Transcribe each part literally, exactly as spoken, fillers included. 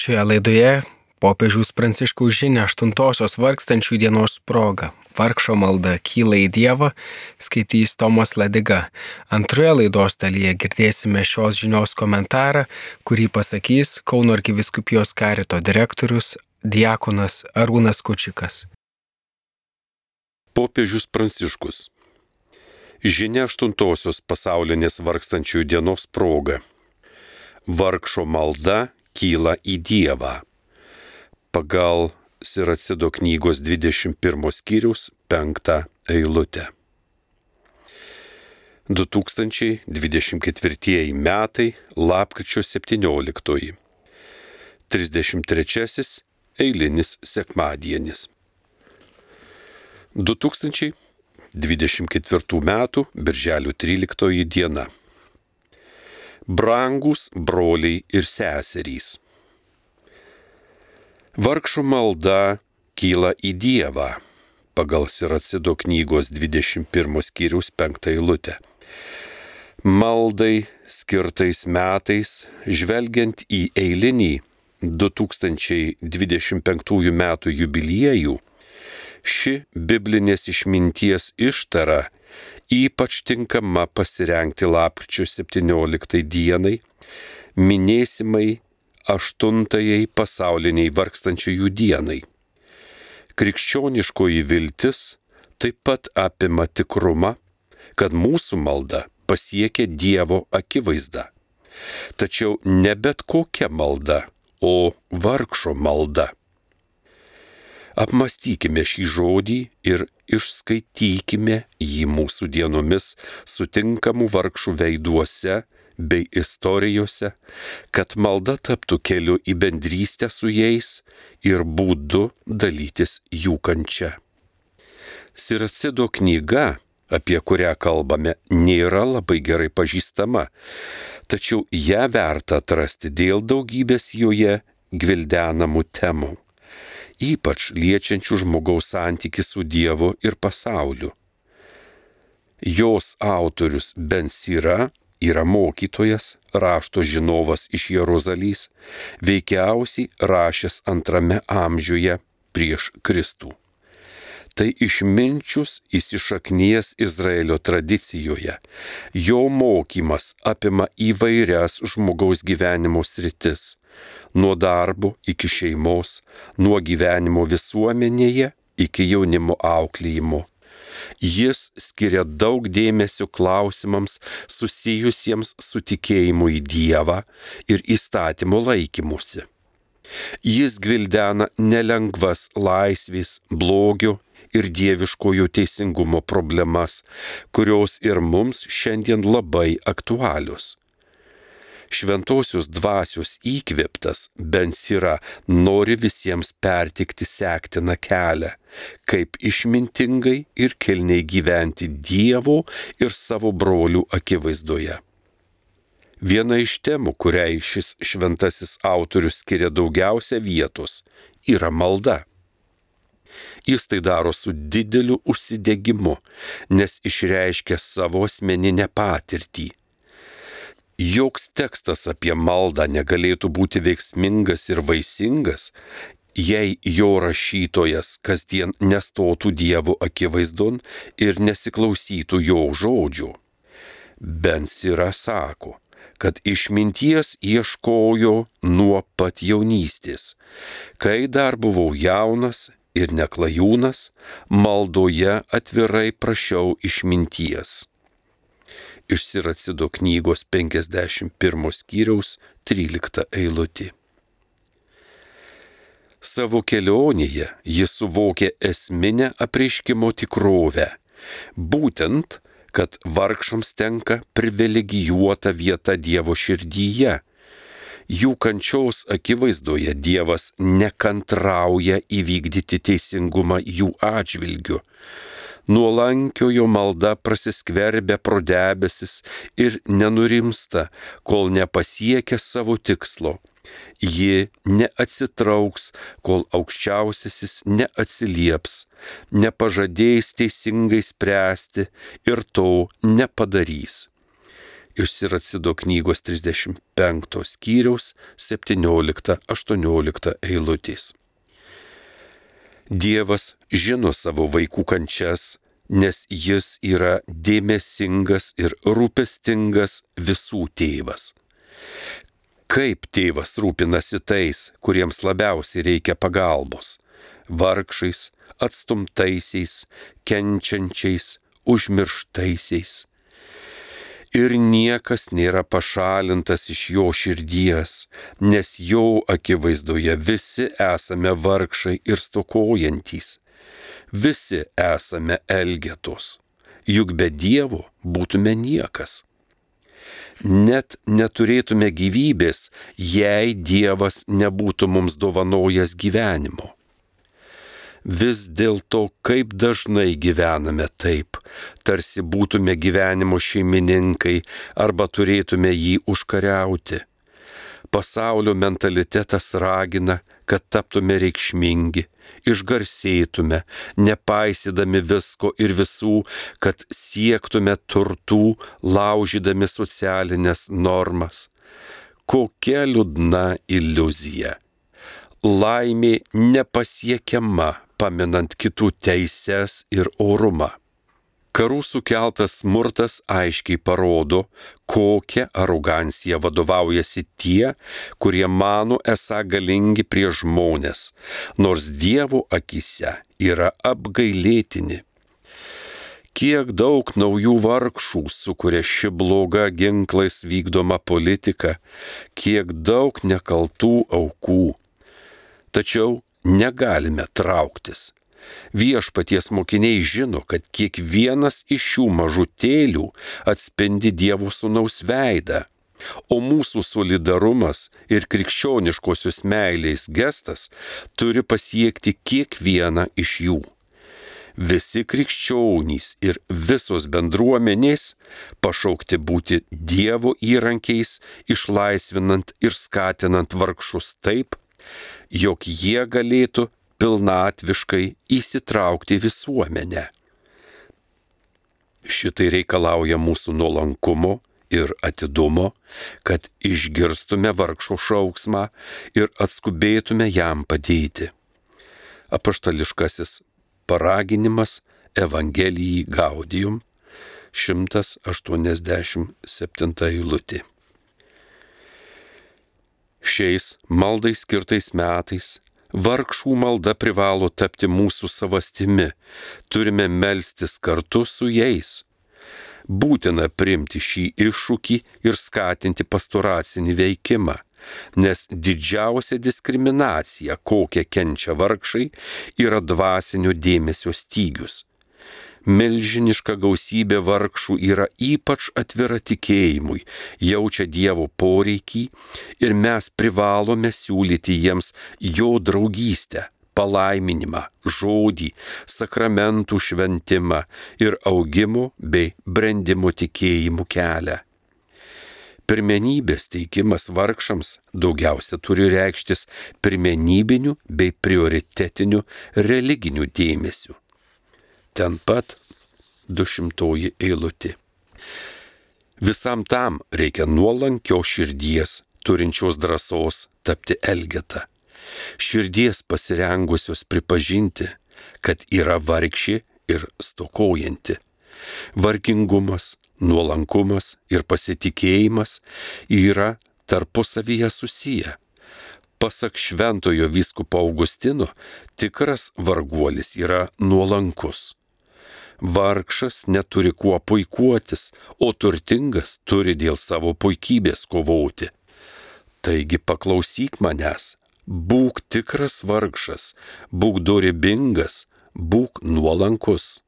Šioje laidoje popiežiaus Pranciškaus žinia aštuntosios vargstančių dienos proga. Vargšo malda kyla į Dievą, skaitys Tomas Ladiga. Antroje laidos dalyje girdėsime šios žinios komentarą, kurį pasakys Kauno arkivyskupijos karito direktorius diakonas Arūnas Kučikas. Popiežius Pranciškus. Žinia aštuntosios pasaulinės vargstančiųjų dienos proga. Vargšo malda kyla į Dievą. Pagal Siracido knygos dvidešimt pirmo skyriaus penktą eilutę. du tūkstančiai dvidešimt ketvirtieji metai, lapkričio septynioliktoji. trisdešimt trečiasis eilinis sekmadienis. du tūkstančiai dvidešimt ketvirtų metų birželio tryliktoji diena. Brangūs broliai ir seserys. Vargšo malda kyla į Dievą, pagal Siracido knygos dvidešimt pirmo skyriaus penktą eilutę. Maldai skirtais metais, žvelgiant į eilinį du tūkstančiai dvidešimt penktųjų metų jubiliejų, ši biblinės išminties ištara ypač tinkama pasirengti lapkričio septynioliktai dienai, minėsimai aštuntajai pasauliniai vargstančiųjų dienai. Krikščioniškoji viltis taip pat apima tikrumą, kad mūsų malda pasiekia Dievo akivaizdą. Tačiau ne bet kokia malda, o vargšo malda. Apmastykime šį žodį ir išskaitykime jį mūsų dienomis sutinkamų vargšų veiduose bei istorijose, kad malda taptų keliu į bendrystę su jais ir būdu dalytis jų kančia. Siracido knyga, apie kurią kalbame, nėra labai gerai pažįstama, tačiau ją verta atrasti dėl daugybės joje gvildenamų temų, ypač liečiančių žmogaus santykį su Dievu ir pasauliu. Jos autorius Ben Sira yra mokytojas, rašto žinovas iš Jeruzalės, veikiausiai rašęs antrame amžiuje prieš Kristų. Tai išminčius įsišaknijęs Izraelio tradicijoje. Jo mokymas apima įvairias žmogaus gyvenimo sritis, nuo darbo iki šeimos, nuo gyvenimo visuomenėje iki jaunimo auklėjimo. Jis skiria daug dėmesio klausimams susijusiems su tikėjimu į Dievą ir įstatymo laikymusi. Jis gvildena nelengvas laisvės, blogio ir dieviškojo teisingumo problemas, kurios ir mums šiandien labai aktualios. Šventosios dvasios įkvėptas Ben Sira nori visiems pertikti sektiną kelią, kaip išmintingai ir kilniai gyventi Dievo ir savo brolių akivaizdoje. Viena iš temų, kuriai šis šventasis autorius skiria daugiausia vietos, yra malda. Jis tai daro su dideliu užsidegimu, nes išreiškia savo asmeninę patirtį. Joks tekstas apie maldą negalėtų būti veiksmingas ir vaisingas, jei jo rašytojas kasdien nestotų Dievo akivaizdon ir nesiklausytų jo žodžių. Ben Sira sako, kad išminties ieškojo nuo pat jaunystės. Kai dar buvau jaunas ir neklajūnas, maldoje atvirai prašiau išminties. Iš Siracido knygos penkiasdešimt pirmo skyriaus trylikta eilutė. Savo kelionėje jis suvokė esminę apreiškimo tikrovę, būtent, kad vargšams tenka privilegijuota vieta Dievo širdyje. Jų kančios akivaizdoje Dievas nekantrauja įvykdyti teisingumą jų atžvilgiu. Nuolankiojo malda prasiskverbia pro debesis ir nenurimsta, kol nepasiekia savo tikslo. Ji neatsitrauks, kol aukščiausiasis neatsilieps, nepažadėjęs teisingai spręsti ir to nepadarys. iš Siracido knygos trisdešimt penkto skyriaus septyniolikta aštuoniolikta eilutės. Dievas žino savo vaikų kančias, nes jis yra dėmesingas ir rūpestingas visų tėvas. Kaip tėvas rūpinasi tais, kuriems labiausiai reikia pagalbos – vargšais, atstumtaisiais, kenčiančiais, užmirštaisiais. Ir niekas nėra pašalintas iš jo širdies, nes jo akivaizdoje visi esame vargšai ir stokojantys. Visi esame elgetos, juk be Dievo būtume niekas. Net neturėtume gyvybės, jei Dievas nebūtų mums dovanojęs gyvenimo. Vis dėlto, kaip dažnai gyvename taip, tarsi būtume gyvenimo šeimininkai arba turėtume jį užkariauti. Pasaulio mentalitetas ragina, kad taptume reikšmingi, išgarsėtume, nepaisydami visko ir visų, kad siektume turtų, laužydami socialinės normas. Kokia liūdna iliuzija. Laimė nepasiekiama, paminant kitų teises ir orumą. Karų sukeltas smurtas aiškiai parodo, kokia arogancija vadovaujasi tie, kurie mano esą galingi prieš žmones, nors Dievo akyse yra apgailėtini. Kiek daug naujų vargšų sukuria ši bloga ginklais vykdoma politika, kiek daug nekaltų aukų. Tačiau negalime trauktis. Viešpaties mokiniai žino, kad kiekvienas iš šių mažutėlių atspindi Dievo sūnaus veidą, o mūsų solidarumas ir krikščioniškosios meilės gestas turi pasiekti kiekvieną iš jų. Visi krikščionys ir visos bendruomenės pašaukti būti Dievo įrankiais, išlaisvinant ir skatinant vargšus taip, jog jie galėtų pilnatviškai įsitraukti visuomenę. Šitai reikalauja mūsų nuolankumo ir atidumo, kad išgirstume vargšo šauksmą ir atskubėtume jam padėti. Apaštališkasis paraginimas Evangelijai Gaudium, šimtas aštuoniasdešimt septinta eilutė. Šiais maldai skirtais metais vargšų malda privalo tapti mūsų savastimi, turime melstis kartu su jais. Būtina priimti šį iššūkį ir skatinti pastoracinį veikimą, nes didžiausia diskriminacija, kokią kenčia vargšai, yra dvasinio dėmesio stygius. Milžiniška gausybė vargšų yra ypač atvira tikėjimui, jaučia Dievo poreikį ir mes privalome siūlyti jiems jo draugystę, palaiminimą, žodį, sakramentų šventimą ir augimo bei brendimo tikėjimų kelią. Pirmenybės teikimas vargšams daugiausia turi reikštis pirmenybiniu bei prioritetiniu religiniu dėmesiu. Ten pat dušimtoji eilutė. Visam tam reikia nuolankios širdies, turinčios drąsos tapti elgeta. Širdies pasirengusios pripažinti, kad yra vargšė ir stokojanti. Vargingumas, nuolankumas ir pasitikėjimas yra tarpusavyje susiję. Pasak šventojo vyskupo Augustino, tikras varguolis yra nuolankus. Vargšas neturi kuo puikuotis, o turtingas turi dėl savo puikybės kovoti. Taigi paklausyk manęs, būk tikras vargšas, būk dorybingas, būk nuolankus.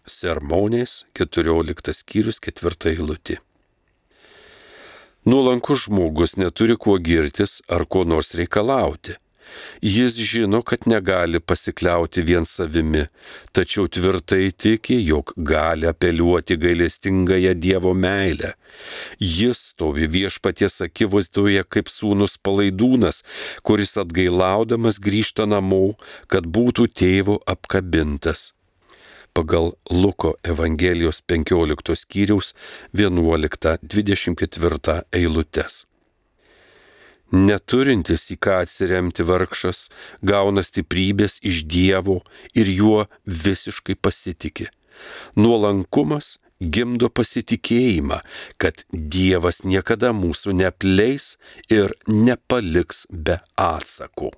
Sermonės keturioliktas skyrius ketvirta eilutė. Nuolankus žmogus neturi kuo girtis ar ko nors reikalauti. Jis žino, kad negali pasikliauti vien savimi, tačiau tvirtai tiki, jog gali apeliuoti gailestingąją Dievo meilę. Jis stovi viešpaties akivaizdoje kaip sūnus palaidūnas, kuris atgailaudamas grįžta namo, kad būtų tėvo apkabintas. pagal Luko Evangelijos penkioliktos skyriaus vienuoliktą dvidešimt ketvirtą eilutes. Neturintis į ką atsiremti vargšas gauna stiprybės iš Dievo ir juo visiškai pasitiki. Nuolankumas gimdo pasitikėjimą, kad Dievas niekada mūsų neapleis ir nepaliks be atsako.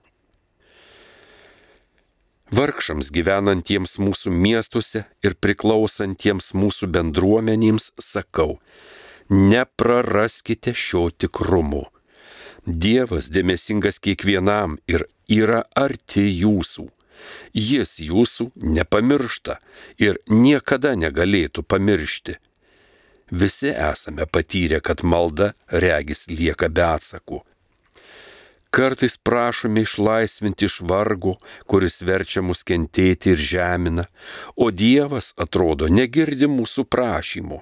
Vargšams gyvenantiems mūsų miestuose ir priklausantiems mūsų bendruomenėms sakau, nepraraskite šio tikrumo. Dievas dėmesingas kiekvienam ir yra arti jūsų. Jis jūsų nepamiršta ir niekada negalėtų pamiršti. Visi esame patyrę, kad malda regis lieka be atsakų. Kartais prašome išlaisvinti iš vargo, kuris verčia mus kentėti ir žemina, o Dievas, atrodo, negirdi mūsų prašymų.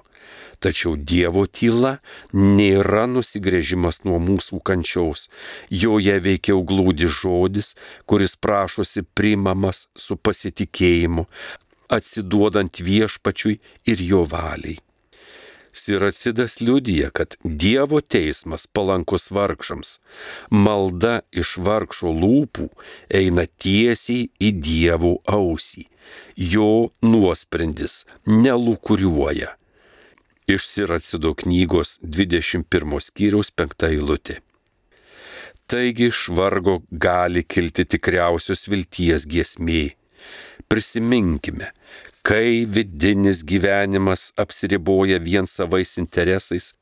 Tačiau Dievo tyla nėra nusigręžimas nuo mūsų kančiaus, joje veikiau glūdi žodis, kuris prašosi priimamas su pasitikėjimu, atsiduodant viešpačiui ir jo valiai. Siracidas liudija, kad Dievo teismas palankus vargšams. Malda iš vargšo lūpų eina tiesiai į Dievo ausį. Jo nuosprendis nelūkuriuoja. Iš Siracido knygos dvidešimt pirmos skyriaus penkta eilutė. Taigi iš vargo gali kilti tikriausios vilties giesmė. Prisiminkime, kai vidinis gyvenimas apsiriboja vien savais interesais,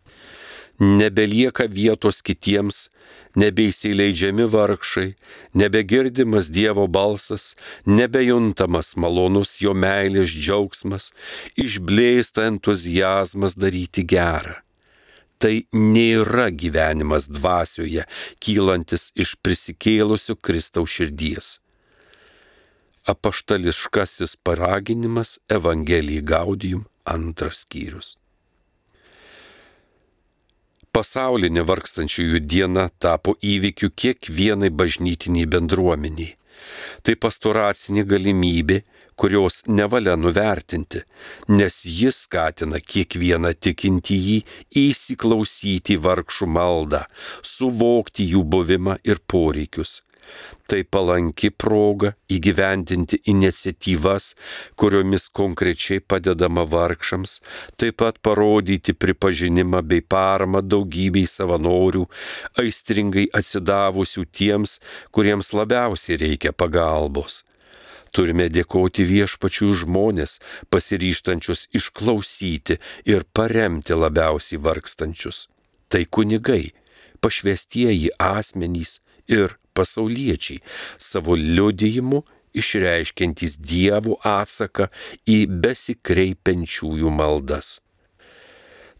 nebelieka vietos kitiems, nebeįsileidžiami vargšai, nebegirdimas Dievo balsas, nebejuntamas malonus jo meilės džiaugsmas, išblėsta entuziazmas daryti gerą. Tai nėra gyvenimas dvasioje, kylantis iš prisikėlusio Kristaus širdies. Apaštališkasis paraginimas Evangelijai Gaudium antras skyrius. Pasaulinė vargstančiųjų diena tapo įvykiu kiekvienai bažnytiniai bendruomeniai. Tai pastoracinė galimybė, kurios nevalia nuvertinti, nes jis skatina kiekvieną tikintįjį įsiklausyti vargšų maldą, suvokti jų buvimą ir poreikius. Tai palanki proga įgyvendinti iniciatyvas, kuriomis konkrečiai padedama vargšams, taip pat parodyti pripažinimą bei paramą daugybei savanorių, aistringai atsidavusių tiems, kuriems labiausiai reikia pagalbos. Turime dėkoti viešpačiui žmonės, pasiryžtančius išklausyti ir paremti labiausiai vargstančius. Tai kunigai, pašvestieji asmenys ir pasauliečiai, savo liudijimu išreiškiantys Dievo atsaką į besikreipiančiųjų maldas.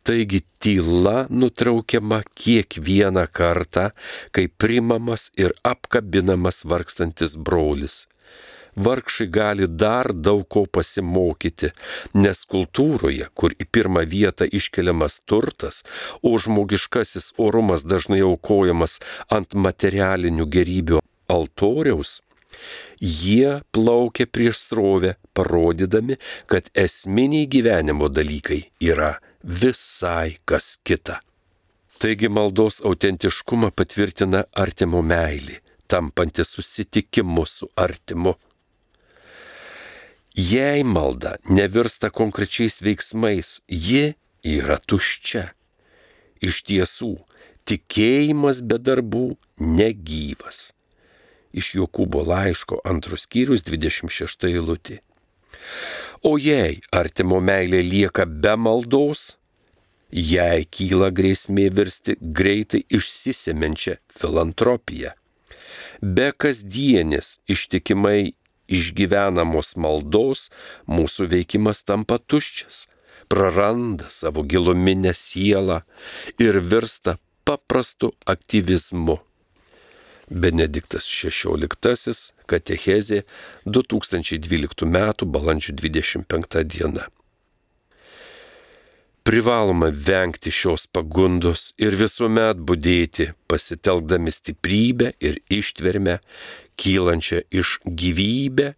Taigi tyla nutraukiama kiekvieną kartą, kai priimamas ir apkabinamas vargstantis brolis. Vargšai gali dar daug ko pasimokyti, nes kultūroje, kur į pirmą vietą iškeliamas turtas, o žmogiškasis orumas dažnai aukojamas ant materialinių gerybių altoriaus, jie plaukia prieš srovę, parodydami, kad esminiai gyvenimo dalykai yra visai kas kita. Taigi maldos autentiškumą patvirtina artimo meilė, tampanti susitikimu su artimu. Jei malda nevirsta konkrečiais veiksmais, ji yra tuščia. Iš tiesų, tikėjimas be darbų negyvas. Iš Jokūbo laiško antros skyrius dvidešimt šešta eilutė. O jei artimo meilė lieka be maldos, jei kyla grėsmė virsti greitai išsisemenčią filantropiją. Be kasdienės ištikimai išgyvenamos maldos mūsų veikimas tampa tuščias, praranda savo giluminę sielą ir virsta paprastu aktyvizmu. Benediktas šešioliktasis, katechezė, du tūkstančiai dvyliktų metų balandžio dvidešimt penkta diena. Privaloma vengti šios pagundos ir visuomet budėti, pasitelkdami stiprybę ir ištvermę, kylančią iš gyvybę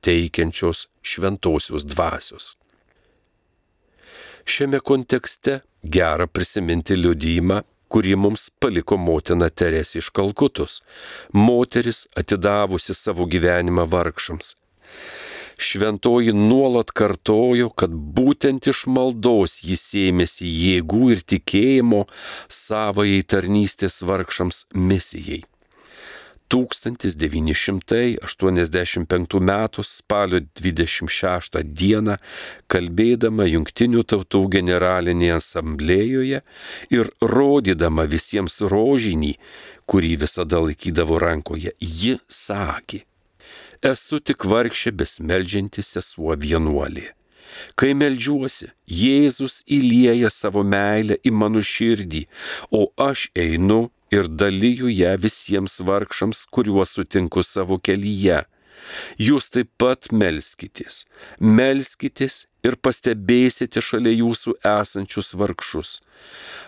teikiančios šventosios dvasios. Šiame kontekste gera prisiminti liudijimą, kurį mums paliko motina Teresė iš Kalkutos, moteris atidavusi savo gyvenimą vargšams. Šventoji nuolat kartojo, kad būtent iš maldos jis ėmėsi jėgų ir tikėjimo savajai tarnystės vargšams misijai. tūkstantis devyni šimtai aštuoniasdešimt penktų metų spalio dvidešimt šeštą dieną, kalbėdama Jungtinių tautų generalinėje asamblėjoje ir rodydama visiems rožinį, kurį visada laikydavo rankoje, ji sakė: esu tik vargšė besmeldžianti sesuo vienuolė. Kai meldžiuosi, Jėzus įlieja savo meilę į mano širdį, o aš einu ir daliju ją visiems vargšams, kuriuos sutinku savo kelyje. Jūs taip pat melskitės, melskitės ir pastebėsite šalia jūsų esančius vargšus.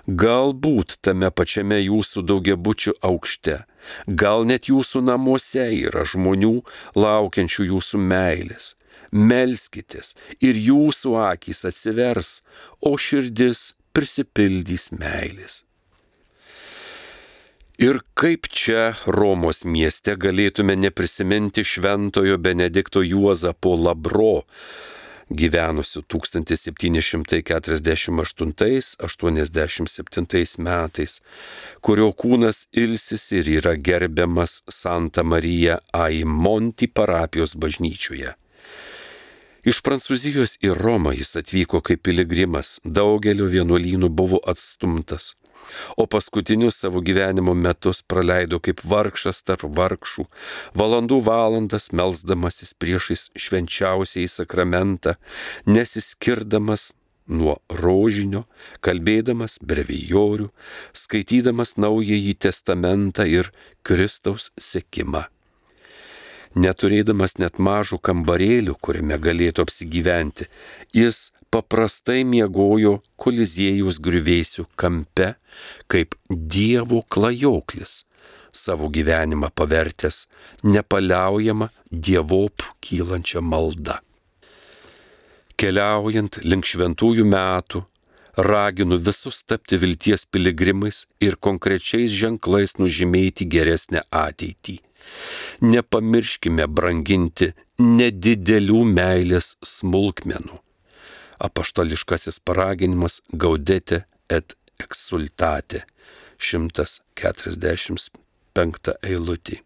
Galbūt tame pačiame jūsų daugiabučių aukšte, gal net jūsų namuose yra žmonių laukiančių jūsų meilės. Melskitės ir jūsų akys atsivers, o širdis prisipildys meilės. Ir kaip čia Romos mieste galėtume neprisiminti šventojo Benedikto Juozapo Labro, gyvenusių tūkstantis septyni šimtai keturiasdešimt aštuntais aštuoniasdešimt septintais metais, kurio kūnas ilsisi ir yra gerbiamas Santa Marija ai Monti parapijos bažnyčioje. Iš Prancūzijos į Romą jis atvyko kaip piligrimas, daugelio vienuolynų buvo atstumtas, o paskutinius savo gyvenimo metus praleido kaip vargšas tarp vargšų, valandų valandas melsdamasis priešais švenčiausiąjį sakramentą, nesiskirdamas nuo rožinio, kalbėdamas brevijorių, skaitydamas Naująjį testamentą ir Kristaus sekimą. Neturėdamas net mažų kambarėlių, kuriame galėtų apsigyventi, jis paprastai miegojo Koliziejus griuvėsių kampe, kaip Dievo klajoklis, savo gyvenimą pavertęs nepaliaujamą dievop kylančią maldą. Keliaujant link šventųjų metų, raginu visus tapti vilties piligrimais ir konkrečiais ženklais nužymėti geresnę ateitį. Nepamirškime branginti nedidelių meilės smulkmenų. Apaštališkasis paraginimas Gaudete et exsultate, šimtas keturiasdešimt penkta eilutė.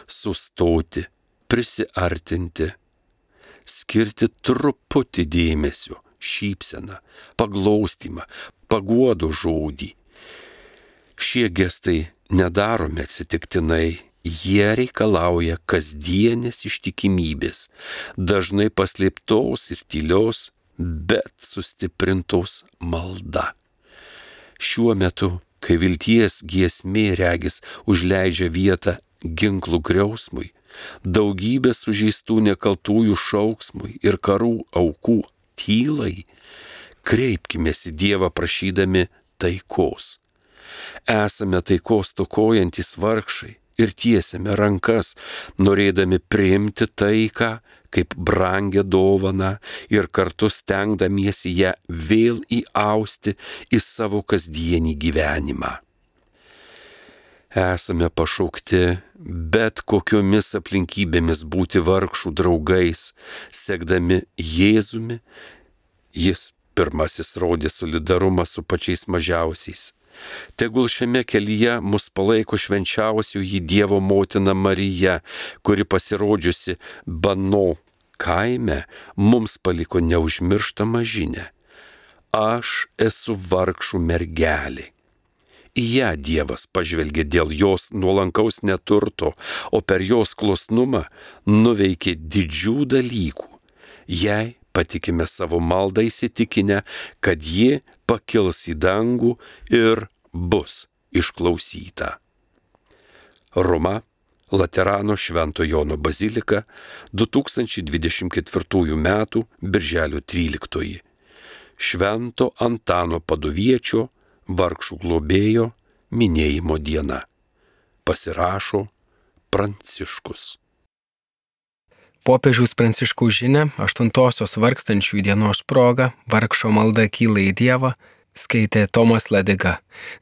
Sustoti, prisiartinti, skirti truputį dėmesio, šypseną, paglaustymą, paguodo žodį. Šie gestai nedaromi atsitiktinai, jie reikalauja kasdienės ištikimybės, dažnai paslėptos ir tylios, bet sustiprintos malda. Šiuo metu, kai vilties giesmė regis užleidžia vietą ginklų griausmui, daugybė sužeistų nekaltųjų šauksmui ir karų aukų tylai, kreipkimės į Dievą prašydami taikos. Esame taikos stokojantis vargšai ir tiesiame rankas, norėdami priimti taiką kaip brangią dovaną ir kartu stengdamiesi ją vėl įausti į savo kasdienį gyvenimą. Esame pašaukti bet kokiomis aplinkybėmis būti vargšų draugais, sekdami Jėzumi. Jis pirmasis rodė solidarumą su pačiais mažiausiais. Tegul šiame kelyje mus palaiko švenčiausioji Dievo motina Marija, kuri pasirodžiusi Bano kaime mums paliko neužmirštamą žinią. Aš esu vargšų mergelė. Į ją Dievas pažvelgė dėl jos nuolankaus neturto, o per jos klusnumą nuveikė didžių dalykų. Jei patikime savo maldą įsitikinę, kad ji pakils į dangų ir bus išklausyta. Roma, Laterano Švento Jono bazilika, du tūkstančiai dvidešimt ketvirtųjų metų birželio tryliktoji. Švento Antano Paduviečio, vargšų globėjo, minėjimo diena. Pasirašo Pranciškus. Popiežiaus Pranciškaus žinia aštuntosios vargstančių dienos proga vargšo malda kyla į Dievą skaitė Tomas Ladiga.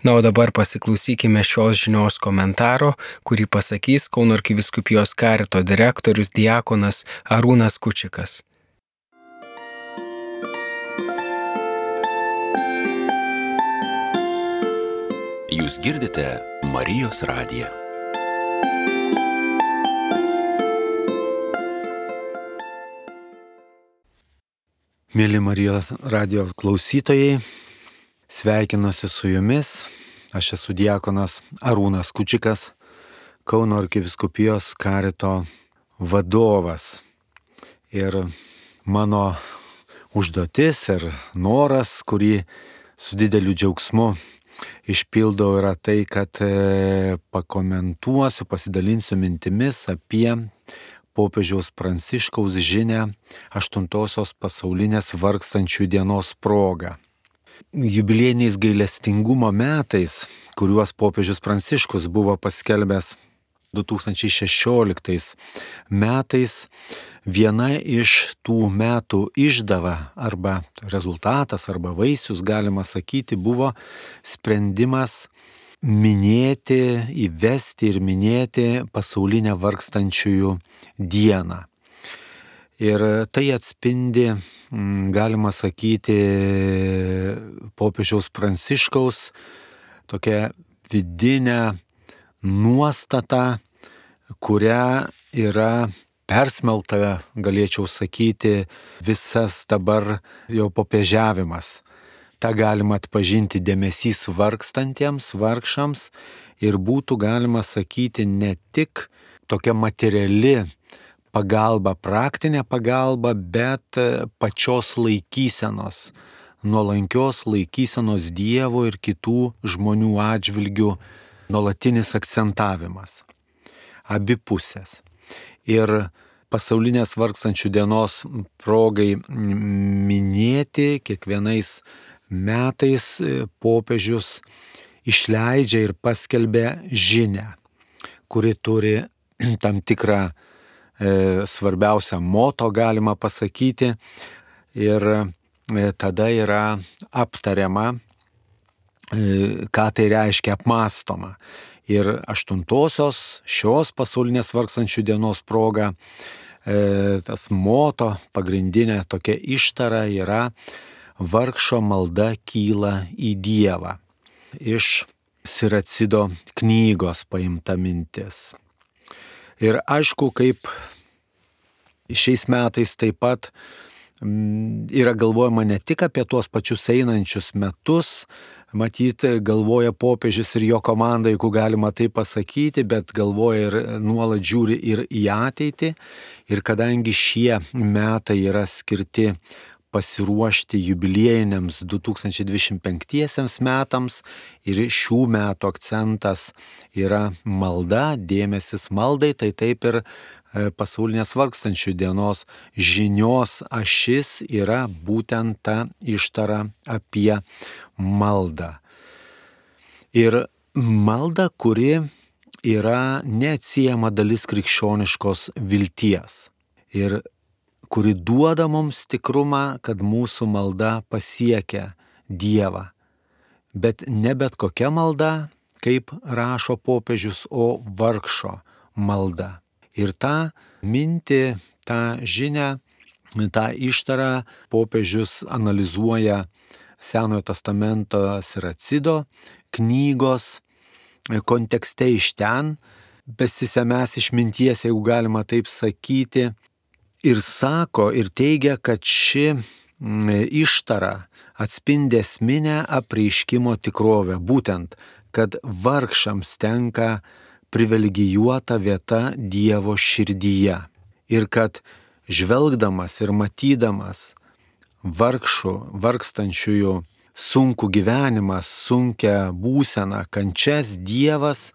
Na, o dabar pasiklausykime šios žinios komentaro, kurį pasakys Kauno arkivyskupijos karito direktorius diakonas Arūnas Kučikas. Jūs girdite Marijos radiją. Mėly Marijos radijos klausytojai, sveikinuosi su jumis. Aš esu diakonas Arūnas Kučikas, Kauno arkivyskupijos karito vadovas. Ir mano užduotis ir noras, kurį su dideliu džiaugsmu išpildau, yra tai, kad pakomentuosiu, pasidalinsiu mintimis apie popiežiaus Pranciškaus žinią aštuntosios pasaulinės vargstančių dienos proga. Jubiliejiniais gailestingumo metais, kuriuos popiežius Pranciškus buvo paskelbęs du tūkstančiai šešioliktais metais, viena iš tų metų išdava arba rezultatas arba vaisius, galima sakyti, buvo sprendimas minėti, įvesti ir minėti pasaulinę vargstančiųjų dieną. Ir tai atspindi, galima sakyti, popiežiaus Pranciškaus tokią vidinę nuostatą, kuria yra persmelta, galėčiau sakyti, visas dabar jau popiežiavimas. Ta galima atpažinti dėmesys vargstantiems, vargšams ir būtų galima sakyti ne tik tokia materiali pagalba, praktinė pagalba, bet pačios laikysenos, nuolankios laikysenos Dievo ir kitų žmonių atžvilgių nuolatinis akcentavimas. Abi pusės. Ir pasaulinės vargstančių dienos progai minėti kiekvienais metais popiežius išleidžia ir paskelbia žinią, kuri turi tam tikrą e, svarbiausią moto, galima pasakyti, ir e, tada yra aptariama, e, ką tai reiškia, apmąstoma. Ir aštuntosios šios pasaulinės vargstančių dienos proga e, tas moto, pagrindinė tokia ištara yra: vargšo malda kyla į Dievą. Iš Siracido knygos paimta mintis. Ir aišku, kaip šiais metais taip pat yra galvojama ne tik apie tuos pačius einančius metus, matyt, galvoja popiežius ir jo komanda, jeigu galima tai pasakyti, bet galvoja ir nuolat žiūri ir į ateitį. Ir kadangi šie metai yra skirti pasiruošti jubiliejiniams du tūkstančiai dvidešimt penktiesiems metams ir šių metų akcentas yra malda, dėmesis maldai, tai taip ir pasaulinės vargstančių dienos žinios ašis yra būtent ta ištara apie maldą. Ir malda, kuri yra neatsiejama dalis krikščioniškos vilties ir kuri duoda mums tikrumą, kad mūsų malda pasiekia Dievą. Bet ne bet kokia malda, kaip rašo popiežius, o vargšo malda. Ir tą mintį, tą žinią, tą ištarą popiežius analizuoja Senojo testamento Siracido knygos kontekste, iš ten besisemęs išminties, jeigu galima taip sakyti, ir sako ir teigia, kad ši ištara atspindi esminę apreiškimo tikrovę, būtent, kad vargšams tenka privilegijuota vieta Dievo širdyje. Ir kad žvelgdamas ir matydamas vargšų, vargstančiųjų sunkų gyvenimą, sunkią būseną, kančias, Dievas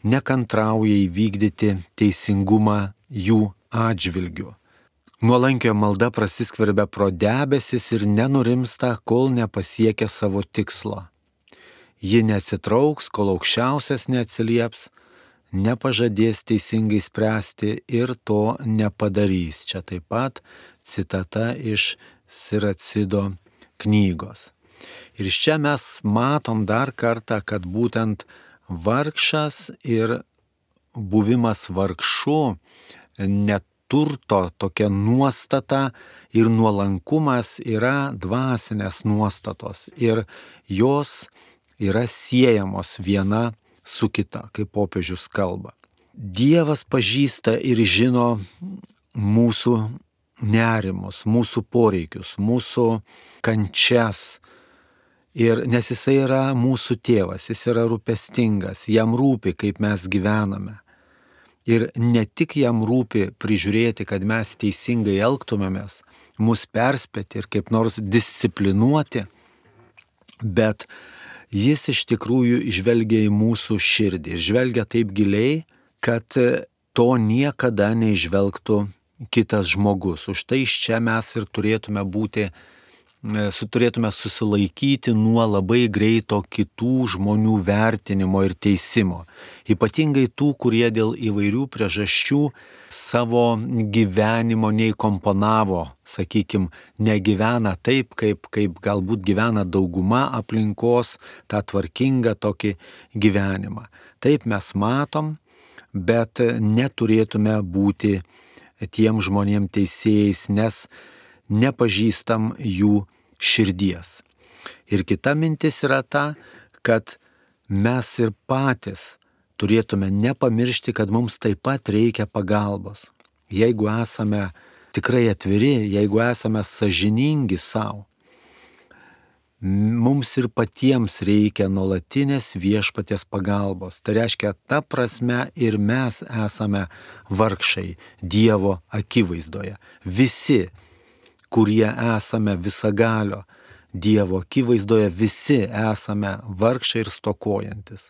nekantrauja įvykdyti teisingumą jų atžvilgiu. Nuolankio malda prasiskverbia pro debesis ir nenurimsta, kol nepasiekia savo tikslo. Ji neatsitrauks, kol aukščiausias neatsilieps, nepažadės teisingai spręsti ir to nepadarys. Čia taip pat citata iš Siracido knygos. Ir iš čia mes matom dar kartą, kad būtent vargšas ir buvimas vargšu, neturto tokia nuostata ir nuolankumas yra dvasinės nuostatos ir jos yra siejamos viena su kita, kaip popiežius kalba. Dievas pažįsta ir žino mūsų nerimus, mūsų poreikius, mūsų kančias. Ir nes jisai yra mūsų tėvas, jis yra rūpestingas, jam rūpi, kaip mes gyvename. Ir ne tik jam rūpi prižiūrėti, kad mes teisingai elgtumėmės, mus perspėti ir kaip nors disciplinuoti, bet jis iš tikrųjų žvelgia į mūsų širdį ir žvelgia taip giliai, kad to niekada neižvelgtų kitas žmogus. Už tai iš čia mes ir turėtume būti, turėtume susilaikyti nuo labai greito kitų žmonių vertinimo ir teisimo. Ypatingai tų, kurie dėl įvairių priežasčių savo gyvenimo neįkomponavo, sakykime, negyvena taip, kaip, kaip galbūt gyvena dauguma aplinkos, tą tvarkingą tokį gyvenimą. Taip mes matom, bet neturėtume būti tiem žmonėm teisėjais, nes nepažįstam jų širdies. Ir kita mintis yra ta, kad mes ir patys turėtume nepamiršti, kad mums taip pat reikia pagalbos. Jeigu esame tikrai atviri, jeigu esame sąžiningi savo, mums ir patiems reikia nuolatinės viešpaties pagalbos. Tai reiškia, ta prasme ir mes esame vargšai Dievo akivaizdoje. Visi, kurie esame visagalio Dievo akivaizdoje, visi esame vargšai ir stokojantis.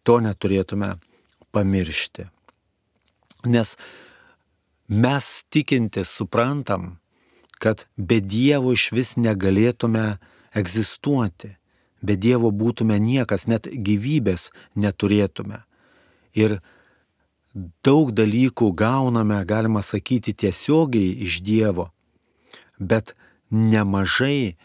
To neturėtume pamiršti. Nes mes tikintis suprantam, kad be Dievo iš vis negalėtume egzistuoti. Be Dievo būtume niekas, net gyvybės neturėtume. Ir daug dalykų gauname, galima sakyti, tiesiogiai iš Dievo, bet nemažai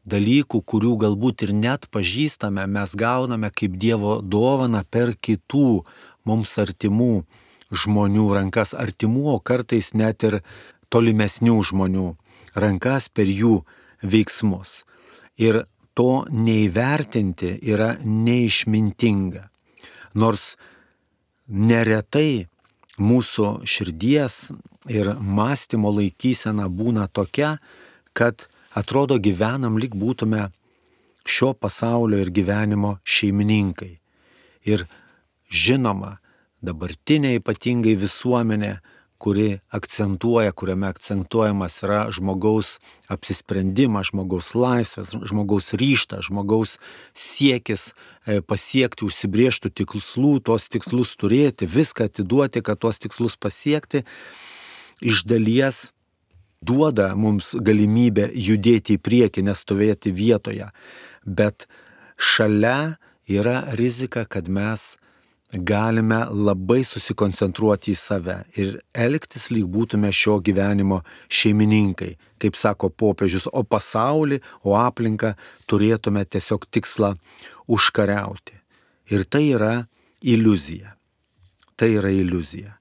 dalykų, kurių galbūt ir net pažįstame, mes gauname kaip Dievo dovaną per kitų mums artimų žmonių rankas, artimų, o kartais net ir tolimesnių žmonių rankas per jų veiksmus. Ir to neįvertinti yra neišmintinga. Nors neretai mūsų širdies ir mąstymo laikysena būna tokia, kad atrodo gyvenam lyg būtume šio pasaulio ir gyvenimo šeimininkai. Ir žinoma, dabartinė ypatingai visuomenė, kuri akcentuoja, kuriame akcentuojamas yra žmogaus apsisprendimas, žmogaus laisvės, žmogaus ryžtas, žmogaus siekis pasiekti užsibrėžtų tikslų, tos tikslus turėti, viską atiduoti, kad tos tikslus pasiekti, iš dalies duoda mums galimybę judėti į priekį, nestovėti vietoje. Bet šalia yra rizika, kad mes galime labai susikoncentruoti į save ir elgtis lyg būtume šio gyvenimo šeimininkai, kaip sako popiežius, o pasaulį, o aplinką turėtume tiesiog tikslą užkariauti. Ir tai yra iliuzija. Tai yra iliuzija.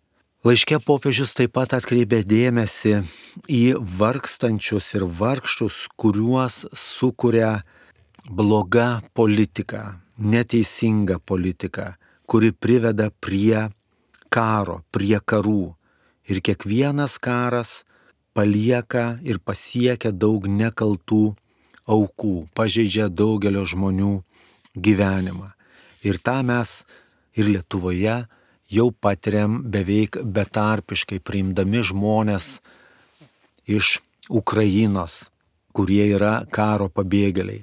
Laiške popiežius taip pat atkreipė dėmesį į vargstančius ir vargštus, kuriuos sukuria bloga politika, neteisinga politika, kuri priveda prie karo, prie karų. Ir kiekvienas karas palieka ir pasiekia daug nekaltų aukų, pažeidžia daugelio žmonių gyvenimą. Ir tą mes ir Lietuvoje jau patiriam beveik betarpiškai, priimdami žmonės iš Ukrainos, kurie yra karo pabėgėliai.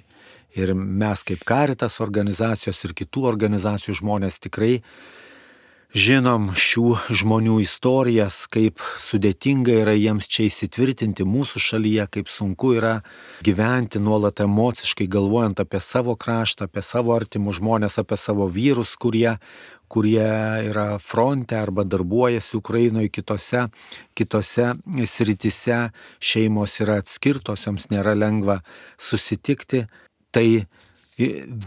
Ir mes kaip Caritas organizacijos ir kitų organizacijų žmonės tikrai žinom šių žmonių istorijas, kaip sudėtinga yra jiems čia įsitvirtinti mūsų šalyje, kaip sunku yra gyventi nuolat emociškai, galvojant apie savo kraštą, apie savo artimus žmonės, apie savo vyrus, kurie, kurie yra fronte arba darbuojasi Ukrainoje, kitose, kitose sritise, šeimos yra atskirtos, joms nėra lengva susitikti. Tai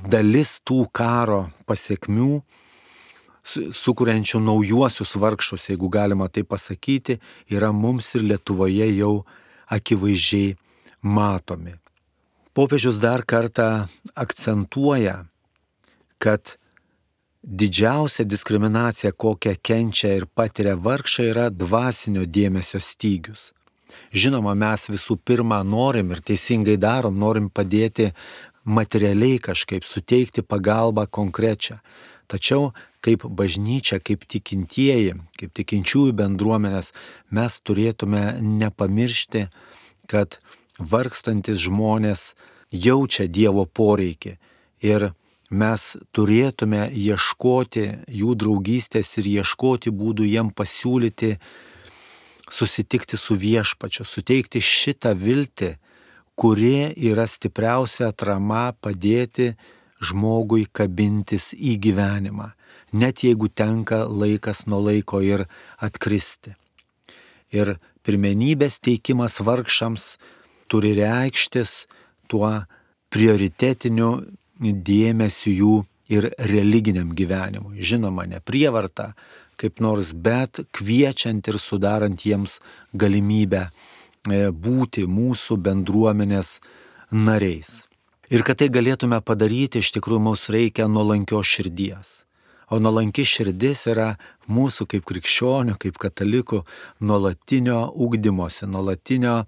dalis tų karo pasiekmių, sukuriančių naujuosius vargšus, jeigu galima tai pasakyti, yra mums ir Lietuvoje jau akivaizdžiai matomi. Popiežius dar kartą akcentuoja, kad didžiausia diskriminacija, kokią kenčia ir patiria vargšai, yra dvasinio dėmesio stygius. Žinoma, mes visų pirma norim ir teisingai darom, norim padėti materialiai kažkaip, suteikti pagalbą konkrečią. Tačiau kaip bažnyčia, kaip tikintieji, kaip tikinčiųjų bendruomenės, mes turėtume nepamiršti, kad vargstantis žmonės jaučia Dievo poreikį ir mes turėtume ieškoti jų draugystės ir ieškoti būdų jiem pasiūlyti susitikti su Viešpačiu, suteikti šitą viltį, kuri yra stipriausia atrama padėti žmogui kabintis į gyvenimą, net jeigu tenka laikas nuo laiko ir atkristi. Ir pirmenybės teikimas vargšams turi reikštis tuo prioritetiniu dėmesiu jų ir religiniam gyvenimui. Žinoma, ne prievarta, kaip nors, bet kviečiant ir sudarant jiems galimybę būti mūsų bendruomenės nariais. Ir kad tai galėtume padaryti, iš tikrųjų mums reikia nuolankios širdies. O nuolanki širdis yra mūsų kaip krikščionių, kaip katalikų nuolatinio ugdymosi, nuolatinio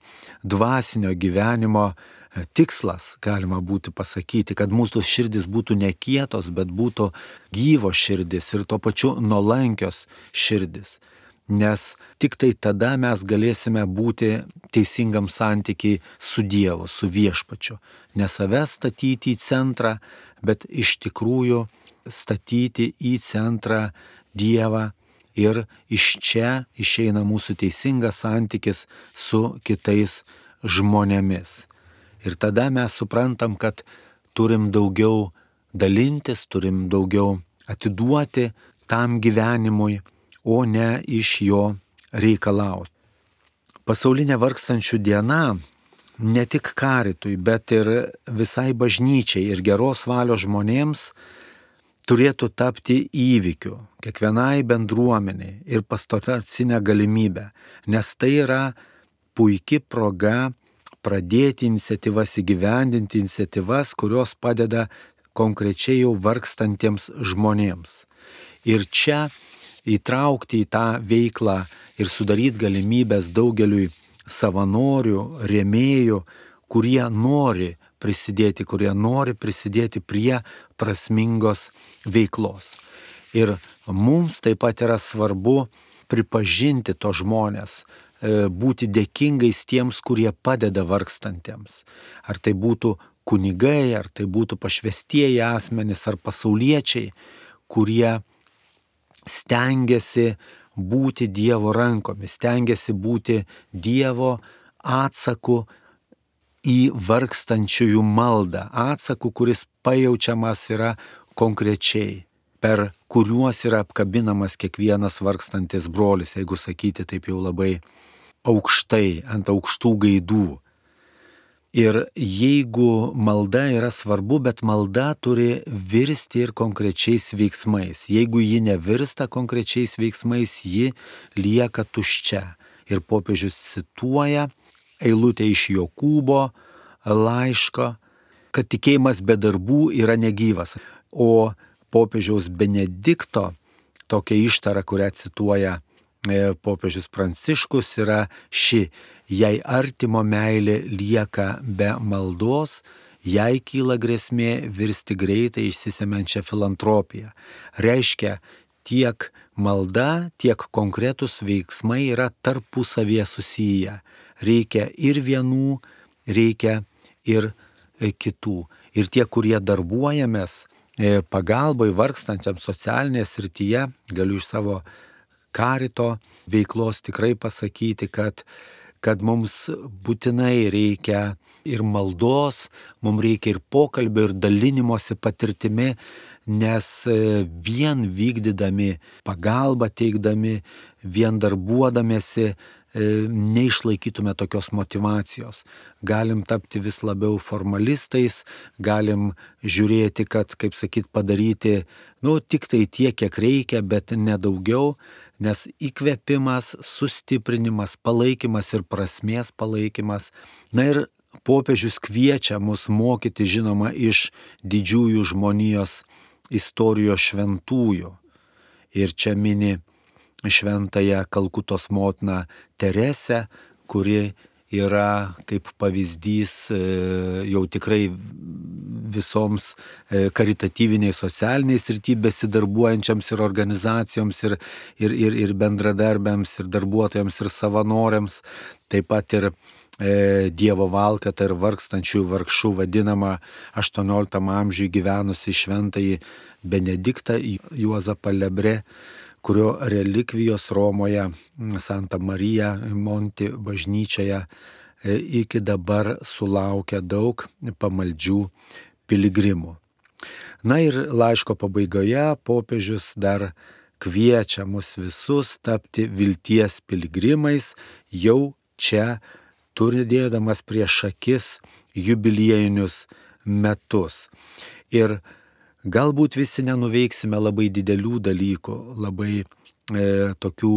dvasinio gyvenimo tikslas, galima būtų pasakyti, kad mūsų širdis būtų ne kietos, bet būtų gyvo širdis ir tuo pačiu nuolankios širdis. Nes tik tai tada mes galėsime būti teisingam santykiai su Dievu, su Viešpačiu. Ne save statyti į centrą, bet iš tikrųjų statyti į centrą Dievą ir iš čia išeina mūsų teisingas santykis su kitais žmonėmis. Ir tada mes suprantam, kad turim daugiau dalintis, turim daugiau atiduoti tam gyvenimui, o ne iš jo reikalauti. Pasaulinė vargstančių diena ne tik karitui, bet ir visai bažnyčiai ir geros valios žmonėms turėtų tapti įvykiu, kiekvienai bendruomeniai ir pastoracinę galimybę, nes tai yra puiki proga pradėti iniciatyvas, įgyvendinti iniciatyvas, kurios padeda konkrečiai jau vargstantiems žmonėms. Ir čia įtraukti į tą veiklą ir sudaryti galimybės daugeliui savanorių, rėmėjų, kurie nori prisidėti, kurie nori prisidėti prie prasmingos veiklos. Ir mums taip pat yra svarbu pripažinti to žmonės, būti dėkingais tiems, kurie padeda vargstantiems. Ar tai būtų kunigai, ar tai būtų pašvestieji asmenys, ar pasauliečiai, kurie stengiasi būti Dievo rankomis, stengiasi būti Dievo atsaku į vargstančiųjų maldą, atsaku, kuris pajaučiamas yra konkrečiai, per kuriuos yra apkabinamas kiekvienas vargstantis brolis, jeigu sakyti taip jau labai aukštai, ant aukštų gaidų. Ir jeigu malda yra svarbu, bet malda turi virsti ir konkrečiais veiksmais. Jeigu ji nevirsta konkrečiais veiksmais, ji lieka tuščia. Ir popiežius cituoja eilutę iš Jokūbo laiško, kad tikėjimas be darbų yra negyvas. O popiežiaus Benedikto tokia ištara, kurią cituoja popiežius Pranciškus, yra ši: jei artimo meilė lieka be maldos, jai kyla grėsmė virsti greitai išsisemiančią filantropiją. Reiškia, tiek malda, tiek konkretus veiksmai yra tarpusavėje susiję. Reikia ir vienų, reikia ir kitų. Ir tie, kurie darbuojamės pagalbai vargstančiam socialinėje srityje, galiu iš savo karito veiklos tikrai pasakyti, kad, kad mums būtinai reikia ir maldos, mums reikia ir pokalbio, ir dalinimosi patirtimi, nes vien vykdydami pagalbą, teikdami, vien darbuodamėsi, neišlaikytume tokios motivacijos. Galim tapti vis labiau formalistais, galim žiūrėti, kad, kaip sakyt, padaryti, nu, tik tai tiek, kiek reikia, bet nedaugiau, nes įkvėpimas, sustiprinimas, palaikymas ir prasmės palaikymas. Na ir popiežius kviečia mus mokyti, žinoma, iš didžiųjų žmonijos istorijos šventųjų. Ir čia mini šventąją Kalkutos motiną Teresę, kuri yra kaip pavyzdys jau tikrai visoms karitatyviniai socialiniai srity besidarbuojančiams ir organizacijoms ir, ir, ir, ir bendradarbiams ir darbuotojams ir savanoriams, taip pat ir e, Dievo valkata ir vargstančių vargšų vadinama aštuonioliktam amžiuje gyvenusi šventąjį Benediktą Juozapą Lebre, kurio relikvijos Romoje Santa Marija Monti bažnyčioje iki dabar sulaukia daug pamaldžių piligrimų. Na ir laiško pabaigoje popiežius dar kviečia mus visus tapti vilties piligrimais, jau čia turėdamas prieš akis jubiliejinius metus. Ir galbūt visi nenuveiksime labai didelių dalykų, labai e, tokių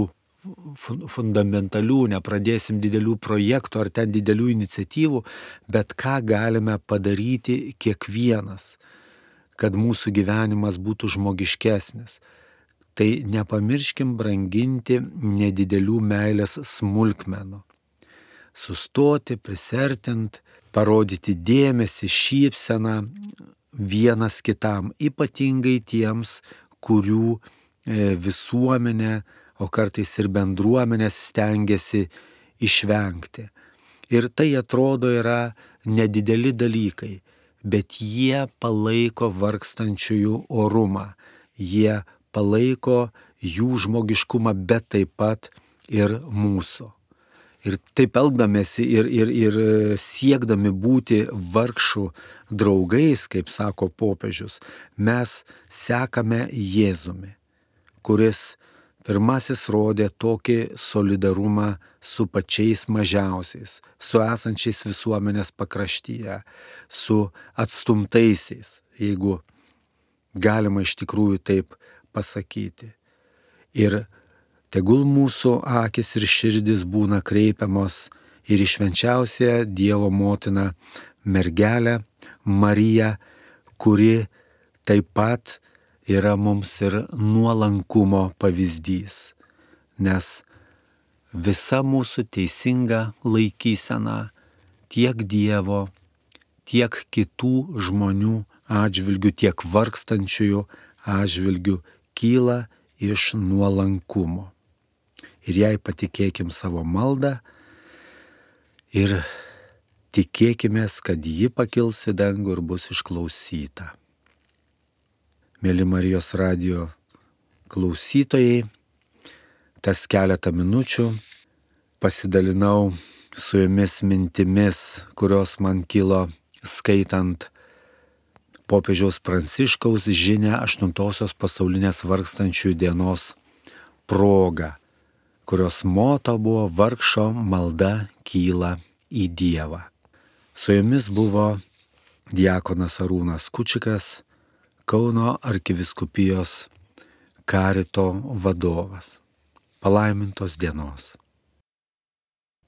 fundamentalių, nepradėsim didelių projektų ar ten didelių iniciatyvų, bet ką galime padaryti kiekvienas, kad mūsų gyvenimas būtų žmogiškesnis. Tai nepamirškim branginti nedidelių meilės smulkmenų. Sustoti, prisertint, parodyti dėmesį, šypseną vienas kitam, ypatingai tiems, kurių visuomenė, o kartais ir bendruomenės stengiasi išvengti. Ir tai atrodo yra nedideli dalykai, bet jie palaiko vargstančiųjų orumą, jie palaiko jų žmogiškumą, bet taip pat ir mūsų. Ir taip elgdamėsi ir, ir, ir siekdami būti vargšų draugais, kaip sako popiežius, mes sekame Jėzumi, kuris pirmasis rodė tokį solidarumą su pačiais mažiausiais, su esančiais visuomenės pakraštyje, su atstumtaisiais, jeigu galima iš tikrųjų taip pasakyti. Ir tegul mūsų akis ir širdis būna kreipiamos ir į švenčiausią Dievo motiną mergelę Mariją, kuri taip pat yra mums ir nuolankumo pavyzdys, nes visa mūsų teisinga laikysena tiek Dievo, tiek kitų žmonių atžvilgių, tiek vargstančiųjų atžvilgių kyla iš nuolankumo. Ir jai patikėkim savo maldą ir tikėkimės, kad ji pakils į dangų ir bus išklausyta. Mėly Marijos radijo klausytojai, tas keletą minučių pasidalinau su jumis mintimis, kurios man kilo skaitant popiežiaus Pranciškaus žinią aštuntosios pasaulinės vargstančiųjų dienos proga, kurios moto buvo vargšo malda kyla į Dievą. Su jumis buvo diakonas Arūnas Kučikas, Kauno arkivyskupijos karito vadovas. Palaimintos dienos.